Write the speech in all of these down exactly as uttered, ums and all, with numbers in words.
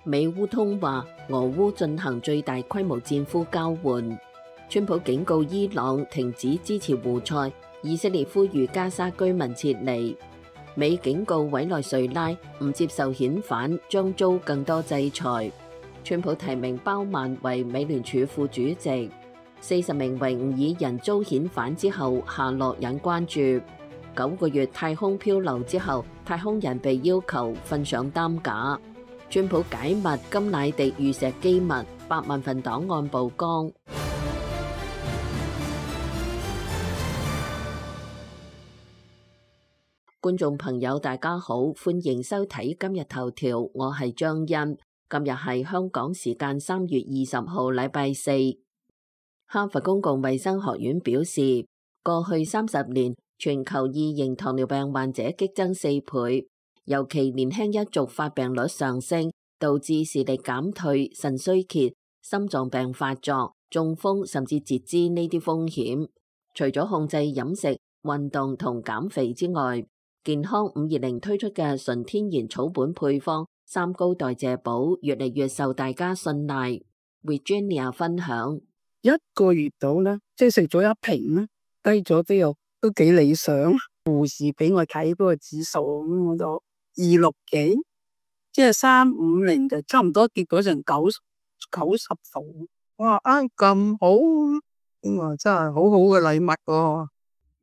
美烏通話，俄烏進行最大規模戰俘交換。川普警告伊朗停止支持胡塞，以色列呼籲加沙居民撤離。美警告委內瑞拉唔接受遣返將遭更多制裁。川普提名鮑曼為美聯儲副主席。四十名維吾爾人遭遣返之後下落引關注。九個月太空漂流之後，太空人被要求瞓上擔架。川普解密甘迺迪遇襲機密，百萬份檔案曝光。觀眾朋友大家好，歡迎收睇今日頭條，我係張欣。今日係香港時間三月二十號，禮拜四。哈佛公共衛生學院表示，過去三十年全球二型糖尿病患者激增四倍，尤其年輕一族發病率上升，導致視力減退、腎衰竭、心臟病發作、中風甚至截肢呢啲風險。除咗控制飲食、運動同減肥之外，健康五二零推出嘅純天然草本配方三高代謝寶越嚟越受大家信賴。Virginia 分享，一個月到咧，即係食咗一瓶咧，低咗都有都幾理想。護士俾我睇嗰個指數，咁我就二六幾，即係三五零就差唔多跌咗成九九十度。哇啊咁好，咁啊真係好好嘅禮物喎。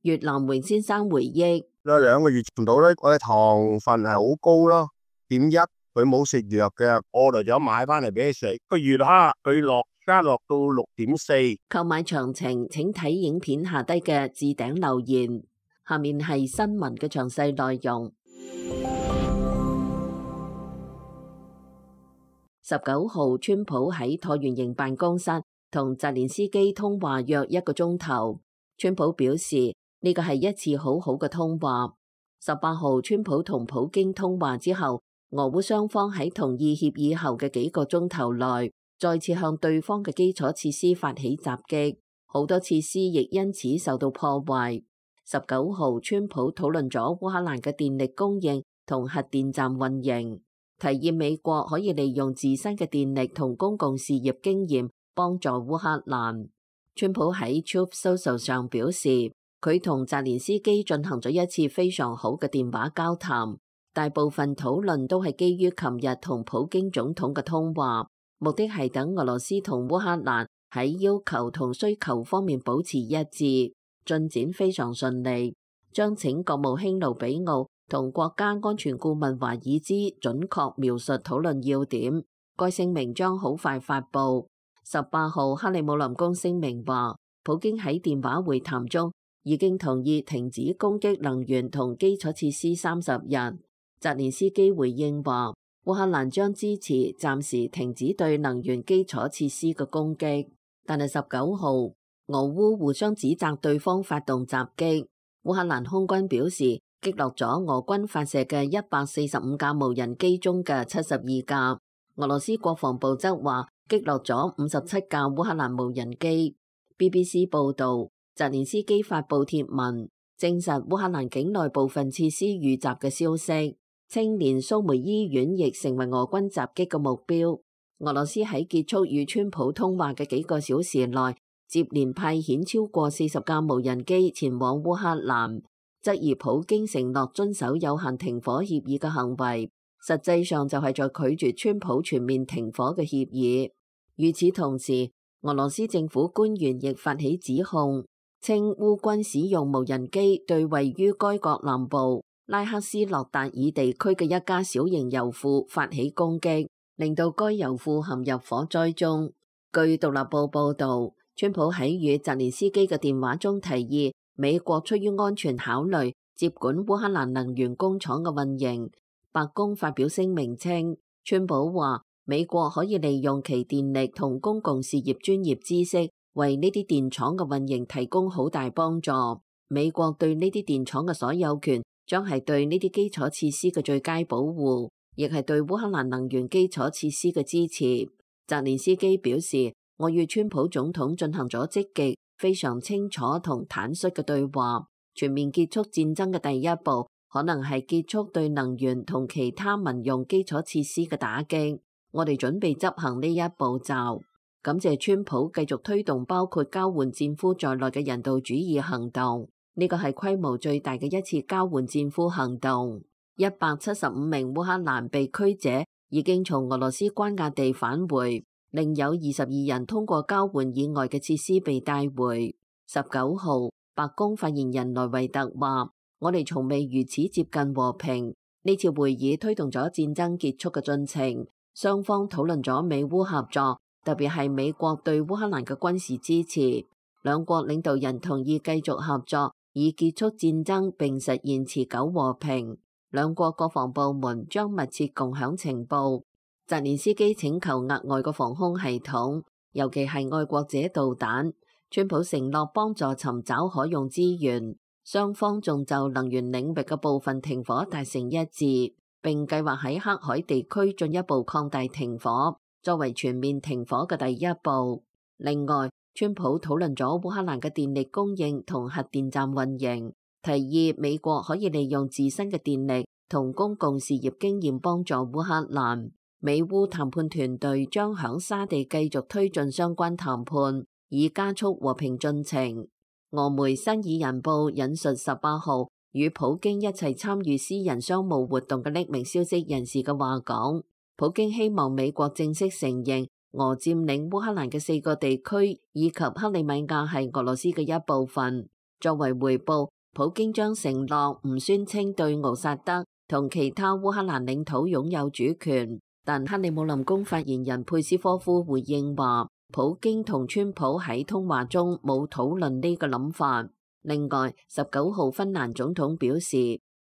越南榮先生回憶。有兩個月唔到咧，我嘅糖分係好高咯，點一佢冇食藥嘅，我嚟咗買翻嚟俾佢食。個月哈佢落加落到六點四。購買詳情請睇影片下低嘅置頂留言。下面係新聞嘅詳細內容。十九號，川普喺橢圓形辦公室同澤連斯基通話約一個鐘頭。川普表示，呢個係一次好好嘅通話。十八號，川普同普京通話之後，俄烏雙方喺同意協議後嘅幾個鐘頭內，再次向對方嘅基礎設施發起襲擊，好多設施亦因此受到破壞。十九號，川普討論咗烏克蘭嘅電力供應同核電站運營，提議美國可以利用自身嘅電力同公共事業經驗幫助烏克蘭。川普喺 Truth Social 上表示，佢同澤連斯基進行咗一次非常好嘅電話交談，大部分討論都係基於琴日同普京總統嘅通話，目的係等俄羅斯同烏克蘭喺要求同需求方面保持一致，進展非常順利。將請國務卿盧比奧同國家安全顧問華爾茲準確描述討論要點，該聲明將好快發布。十八號，克里姆林宮聲明話，普京喺電話會談中已經同意停止攻擊能源同基礎設施三十日。澤連斯基回應話，烏克蘭將支持暫時停止對能源基礎設施嘅攻擊。但係十九號，俄烏互相指責對方發動襲擊。烏克蘭空軍表示，擊落咗俄軍發射嘅一百四十五架無人機中嘅七十二架。俄羅斯國防部則話，擊落咗五十七架烏克蘭無人機。B B C 報導，澤連斯基發布貼文，證實烏克蘭境內部分設施遇襲嘅消息。青年蘇梅醫院亦成為俄軍襲擊嘅目標。俄羅斯喺結束與川普通話嘅幾個小時內，接連派遣超過四十架無人機前往烏克蘭，質疑普京承諾遵守有限停火協議嘅行為，實際上就係在拒絕川普全面停火嘅協議。與此同時，俄羅斯政府官員亦發起指控，稱烏軍使用無人機對位於該國南部拉克斯洛達爾地區嘅一家小型油庫發起攻擊，令到該油庫陷入火災中。據獨立報報導，川普喺與澤連斯基嘅電話中提議，美國出於安全考慮接管烏克蘭能源工廠嘅運營。白宮發表聲明稱，川普話美國可以利用其電力同公共事業專業知識，為呢啲電廠嘅運營提供好大幫助。美國對呢啲電廠嘅所有權將係對呢啲基礎設施嘅最佳保護，亦係對烏克蘭能源基礎設施嘅支持。澤連斯基表示，我與川普總統進行咗積極、非常清楚同坦率嘅對話。全面結束戰爭嘅第一步，可能係結束對能源同其他民用基礎設施嘅打擊。我哋準備執行呢一步驟。感謝川普繼續推動包括交換戰俘在內嘅人道主義行動，呢個係規模最大嘅一次交換戰俘行動。一百七十五名烏克蘭被拘者已經從俄羅斯關押地返回，另有二十二人通過交換以外嘅設施被帶回。十九號，白宮發言人萊維特話：我哋從未如此接近和平。呢次會議推動咗戰爭結束嘅進程，雙方討論咗美烏合作，特別係美國對烏克蘭嘅軍事支持。兩國領導人同意繼續合作，以結束戰爭並實現持久和平。兩國國防部門將密切共享情報。澤連斯基請求額外嘅防空系統，尤其係愛國者導彈。川普承諾幫助尋找可用資源。雙方仲就能源領域嘅部分停火達成一致，並計劃喺黑海地區進一步擴大停火，作為全面停火嘅第一步。另外，川普討論咗烏克蘭嘅電力供應同核電站運營，提議美國可以利用自身嘅電力同公共事業經驗幫助烏克蘭。美烏談判團隊將響沙地繼續推進相關談判，以加速和平進程。俄媒新爾人報引述十八號與普京一齊參與私人商務活動嘅匿名消息人士嘅話講，普京希望美國正式承認俄佔領烏克蘭嘅四個地區以及克里米亞係俄羅斯嘅一部分。作為回報，普京將承諾唔宣稱對敖薩德同其他烏克蘭領土擁有主權。但克里姆林宮發言人佩斯科夫回應話，普京同川普喺通話中冇討論呢個諗法。另外，十九號芬蘭總統表示，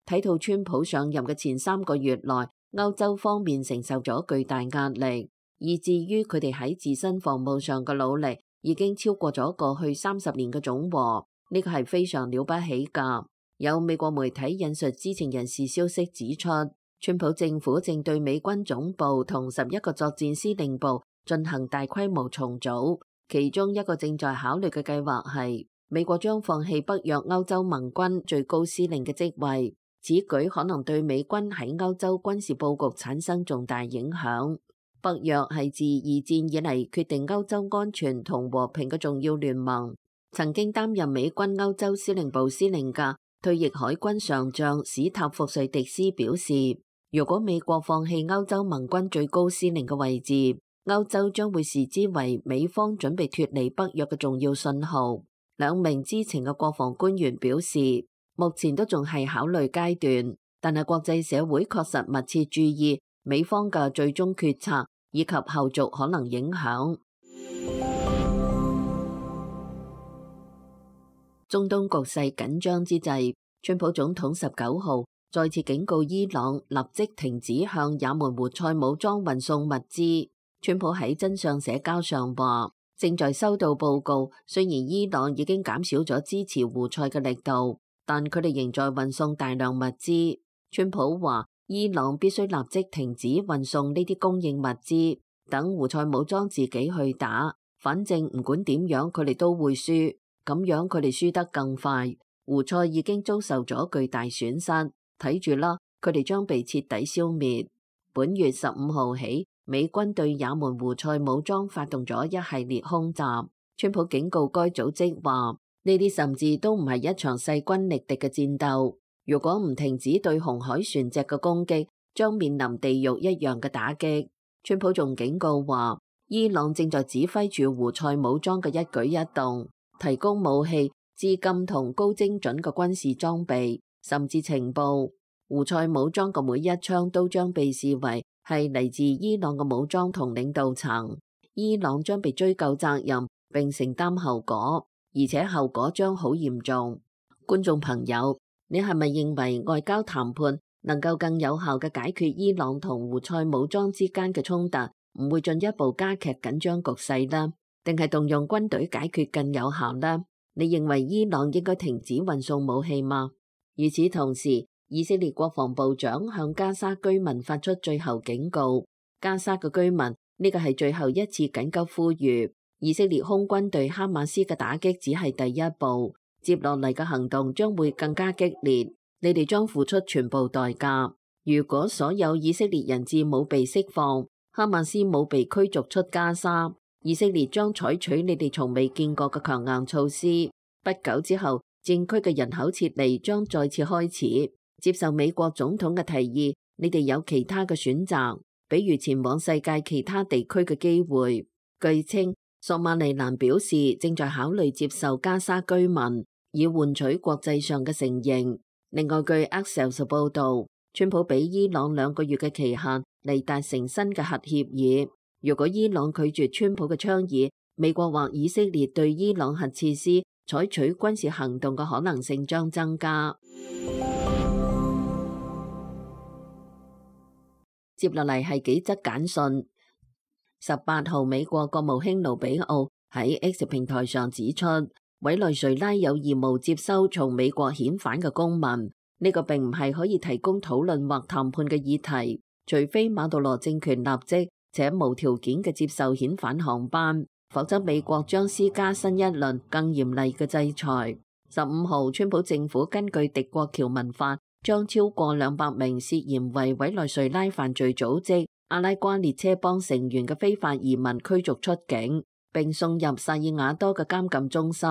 睇到川普上任嘅前三個月內，歐洲方面承受咗巨大壓力，以至於佢哋喺自身防務上嘅努力已經超過咗過去三十年嘅總和，呢個係非常了不起㗎。有美國媒體引述知情人士消息指出，川普政府正對美軍總部同十一個作戰司令部進行大規模重組，其中一個正在考慮嘅計劃係美國將放棄北約歐洲盟軍最高司令嘅職位，此舉可能對美軍喺歐洲軍事佈局產生重大影響。北約係自二戰以嚟決定歐洲安全同和平嘅重要聯盟。曾經擔任美軍歐洲司令部司令嘅退役海軍上將史塔福瑞迪斯表示，如果美國放棄歐洲盟軍最高司令嘅位置，歐洲將會視之為美方準備脫離北約嘅重要信號。兩名知情嘅國防官員表示，目前都仲係考慮階段，但係國際社會確實密切注意美方嘅最終決策以及後續可能影響。中東局勢緊張之際，川普總統十九號再次警告伊朗立即停止向也門胡塞武裝運送物資。川普喺真相社交上話，正在收到報告，雖然伊朗已經減少咗支持胡塞嘅力度，但佢哋仍在運送大量物資。川普話，伊朗必須立即停止運送呢啲供應物資，等胡塞武裝自己去打，反正唔管點樣佢哋都會輸，咁樣佢哋輸得更快。胡塞已經遭受咗巨大損失，睇住啦，佢哋將被徹底消滅。本月十五號起，美軍對也門胡塞武裝發動咗一系列空襲。川普警告該組織話，呢啲甚至都唔係一場勢均力敵嘅戰鬥。如果唔停止對紅海船隻嘅攻擊，將面臨地獄一樣嘅打擊。川普仲警告話，伊朗正在指揮住胡塞武裝嘅一舉一動，提供武器、資金同高精準嘅軍事裝備，甚至情報。胡塞武裝嘅每一槍都將被視為係嚟自伊朗嘅武裝同領導層，伊朗將被追究責任並承擔後果，而且後果將好嚴重。觀眾朋友，你係咪認為外交談判能夠更有效嘅解決伊朗同胡塞武裝之間嘅衝突，唔會進一步加劇緊張局勢呢？定係動用軍隊解決更有效呢？你認為伊朗應該停止運送武器嗎？與此同時，以色列國防部長向加沙居民發出最後警告。加沙嘅居民，呢個係最後一次緊急呼籲。以色列空軍對哈馬斯嘅打擊只係第一步，接落嚟嘅行動將會更加激烈。你哋將付出全部代價。如果所有以色列人質冇被釋放，哈馬斯冇被驅逐出加沙，以色列將採取你哋從未見過嘅強硬措施。不久之後，戰區嘅人口撤離將再次開始。接受美國總統嘅提議，你哋有其他嘅選擇，比如前往世界其他地區嘅機會。據稱，索馬利蘭表示正在考慮接受加沙居民，以換取國際上嘅承認。另外，據 Axios 報導，川普俾伊朗兩個月嘅期限嚟達成新嘅核協議。如果伊朗拒絕川普嘅倡議，美國或以色列對伊朗核設施採取軍事行動嘅可能性將增加。接落嚟係幾則簡訊。十八號，美國國務卿盧比奧喺 X 平台上指出，委內瑞拉有義務接收從美國遣返嘅公民。呢個並唔係可以提供討論或談判嘅議題，除非馬杜羅政權立即且無條件嘅接受遣返航班，否則美國將施加新一輪更嚴厲嘅制裁。十五號，川普政府根據敵國僑民法，將超過兩百名涉嫌為委內瑞拉犯罪組織阿拉瓜列車幫成員嘅非法移民驅逐出境，並送入薩爾瓦多嘅監禁中心。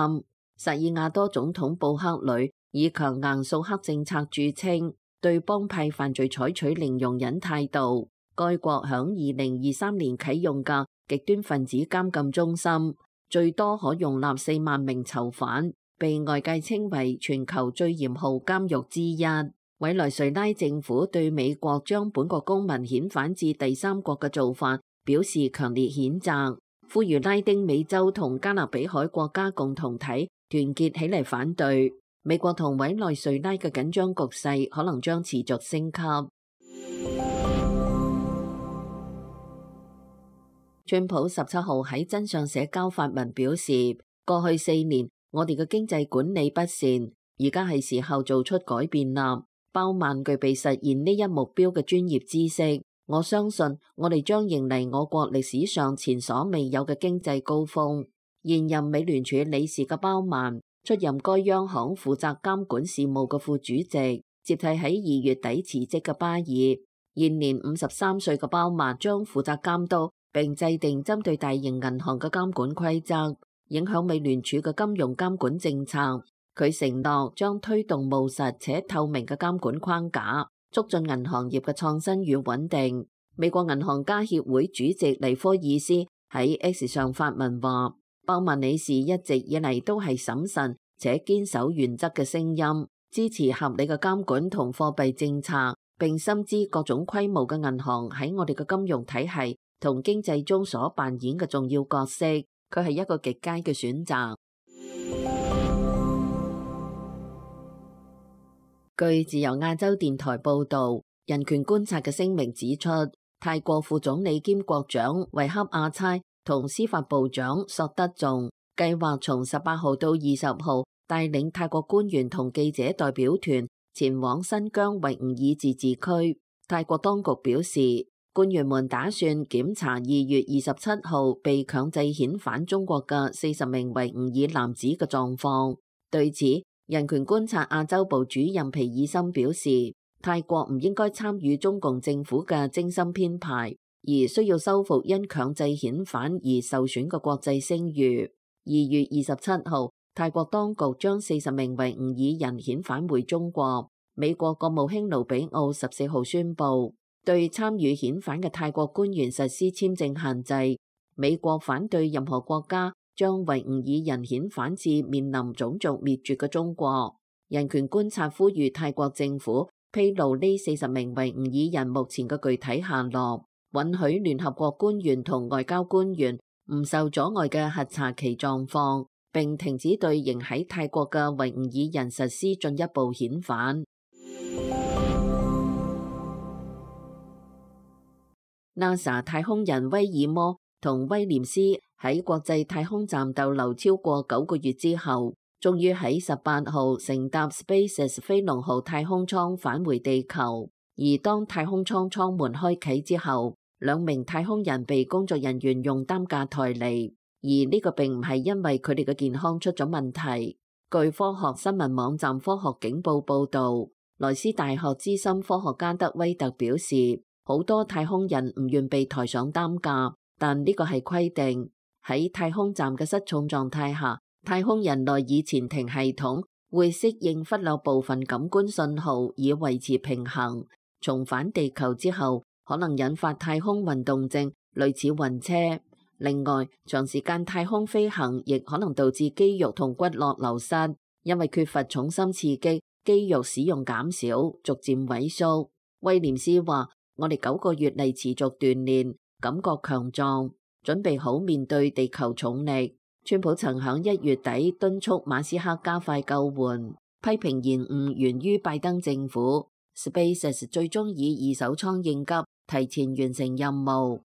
薩爾瓦多總統布克呂以強硬掃黑政策著稱，對幫派犯罪採取零容忍態度。該國響二零二三年啟用嘅極端分子監禁中心，最多可容納四萬名囚犯，被外界稱為全球最嚴酷監獄之一。委內瑞拉政府對美國將本國公民遣返至第三國嘅做法表示強烈譴責，呼籲拉丁美洲同加勒比海國家共同體團結起嚟反對。美國同委內瑞拉嘅緊張局勢可能將持續升級。川普十七號喺真相社交發文表示，過去四年我哋嘅經濟管理不善，而家係時候做出改變啦。鮑曼具備實現呢一目標嘅專業知識，我相信我哋將迎嚟我國歷史上前所未有嘅經濟高峰。現任美聯儲理事嘅鮑曼出任該央行負責監管事務嘅副主席，接替喺二月底辭職嘅巴爾。現年五十三歲嘅鮑曼將負責監督並制定針對大型銀行嘅監管規則，影響美聯儲嘅金融監管政策。佢承諾將推動務實且透明嘅監管框架，促進銀行業嘅創新與穩定。美國銀行家協會主席尼科爾斯喺 X 上發文話，鮑曼理事一直以嚟都係審慎且堅守原則嘅聲音，支持合理嘅監管同貨幣政策，並深知各種規模嘅銀行喺我哋嘅金融體系同經濟中所扮演嘅重要角色。佢係一個極佳嘅選擇。據自由亞洲電台報導，人權觀察嘅聲明指出，泰國副總理兼國長維克阿差同司法部長索德仲計劃從十八號到二十號帶領泰國官員同記者代表團前往新疆維吾爾自治區。泰國當局表示，官員們打算檢查二月二十七號被強制遣返中國嘅四十名維吾爾男子嘅狀況。對此，人權觀察亞洲部主任皮爾森表示，泰國唔應該參與中共政府嘅精心編排，而需要修復因強制遣返而受損嘅國際聲譽。二月二十七號，泰國當局將四十名維吾爾人遣返回中國。美國國務卿盧比奧十四號宣布，對參與遣返嘅泰國官員實施簽證限制。美國反對任何國家將維吾爾人遣返至面臨種族滅絕嘅中國。人權觀察呼籲泰國政府披露呢四十名維吾爾人目前嘅具體下落，允許聯合國官員同外交官員唔受阻礙嘅核查其狀況，並停止對仍喺泰國嘅維吾爾人實施進一步遣返。NASA 太空人威爾摩同威廉斯喺國際太空站逗留超過九個月之後，終於喺十八號乘搭 SpaceX 飛龍號太空艙返回地球。而當太空艙艙門開啟之後，兩名太空人被工作人員用擔架抬離，而呢個並唔係因為佢哋嘅健康出咗問題。據科學新聞網站科學警報報導，萊斯大學資深科學家德威特表示，好多太空人唔願被抬上擔架，但呢個係規定。喺太空站嘅失重狀態下，太空人內耳前庭系統會適應忽略部分感官信號以維持平衡。重返地球之後，可能引發太空運動症，類似暈車。另外，長時間太空飛行亦可能導致肌肉同骨骼流失，因為缺乏重心刺激，肌肉使用減少，逐漸萎縮。威廉斯話：我哋九個月嚟持續鍛煉，感覺強壯，準備好面對地球重力。川普曾響一月底敦促馬斯克加快救援，批評延誤源於拜登政府。SpaceX 最終以二手倉應急，提前完成任務。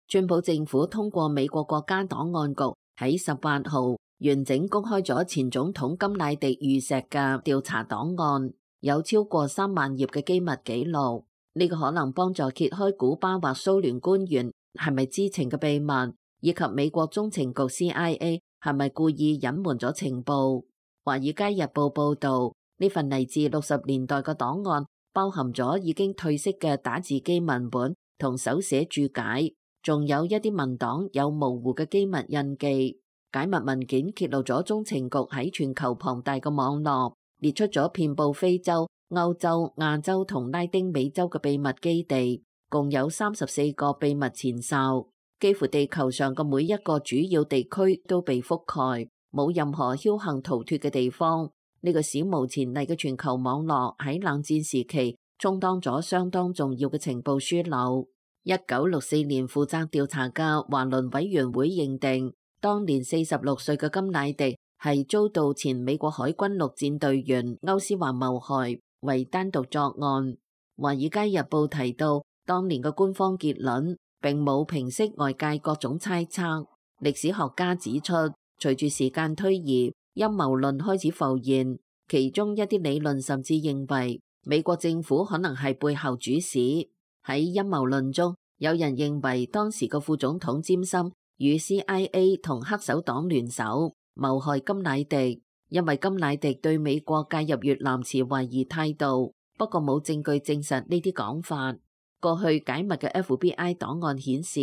川普政府通過美國國家檔案局喺十八號完整公開咗前總統甘迺迪遇刺嘅調查檔案，有超過三萬頁嘅機密記錄。呢個可能幫助揭開古巴或蘇聯官員係咪知情嘅秘密，以及美國中情局 C I A 係咪故意隱瞞咗情報。華爾街日報報道，呢份嚟自六十年代嘅檔案包含咗已經褪色嘅打字機文本同手寫注解。仲有一啲文檔有模糊嘅機密印記。解密文件揭露咗中情局喺全球龐大嘅網絡，列出咗遍佈非洲、歐洲、亞洲同拉丁美洲嘅秘密基地，共有三十四個秘密前哨。幾乎地球上嘅每一個主要地區都被覆蓋，冇任何僥倖逃脫嘅地方。呢個史無前例嘅全球網絡喺冷戰時期充當咗相當重要嘅情報樞紐。一九六四年負責調查嘅華倫委員會認定，當年四十六歲嘅甘迺迪係遭到前美國海軍陸戰隊員歐斯華謀害，為單獨作案。華爾街日報提到，當年嘅官方結論並冇平息外界各種猜測。歷史學家指出，隨住時間推移，陰謀論開始浮現，其中一啲理論甚至認為美國政府可能係背後主使。喺陰謀論中，有人認為當時嘅副總統詹森與 C I A 同黑手黨聯手謀害甘迺迪，因為甘迺迪對美國介入越南持懷疑態度，不過冇證據證實呢啲講法。過去解密嘅 F B I 檔案顯示，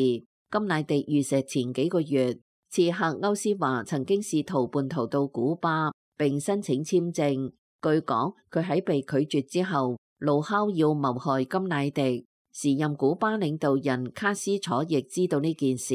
甘迺迪遇刺前幾個月，刺客歐斯華曾經試圖叛逃到古巴並申請簽證。據講，佢喺被拒絕之後，怒敲要謀害甘迺迪。時任古巴領導人卡斯楚亦知道呢件事。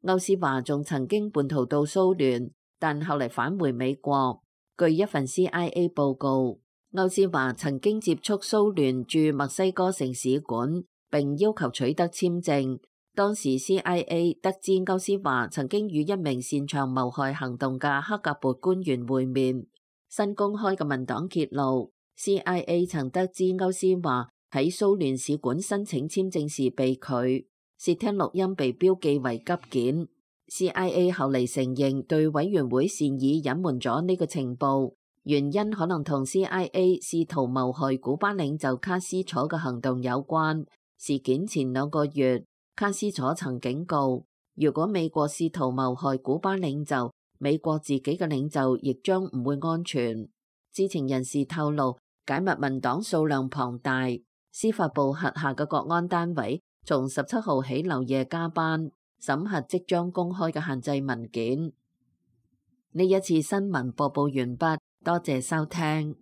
歐斯華仲曾經叛逃到蘇聯，但後嚟返回美國。據一份 C I A 報告，歐斯華曾經接觸蘇聯駐墨西哥城使館，並要求取得簽證。當時 C I A 得知歐斯華曾經與一名擅長謀害行動嘅克格勃官員會面。新公開嘅文檔揭露 ，C I A 曾得知歐斯華喺蘇聯使館申請簽證時被拒，竊聽錄音被標記為急件。C I A 後嚟承認對委員會善意隱瞞咗呢個情報，原因可能同 C I A 試圖謀害古巴領袖卡斯楚嘅行動有關。事件前兩個月，卡斯楚曾警告，如果美國試圖謀害古巴領袖，美國自己嘅領袖亦將唔會安全。知情人士透露，解密文檔數量龐大。司法部轄下嘅國安單位從十七號起漏夜加班審核即將公開嘅限制文件。呢一次新聞播報完畢，多謝收聽。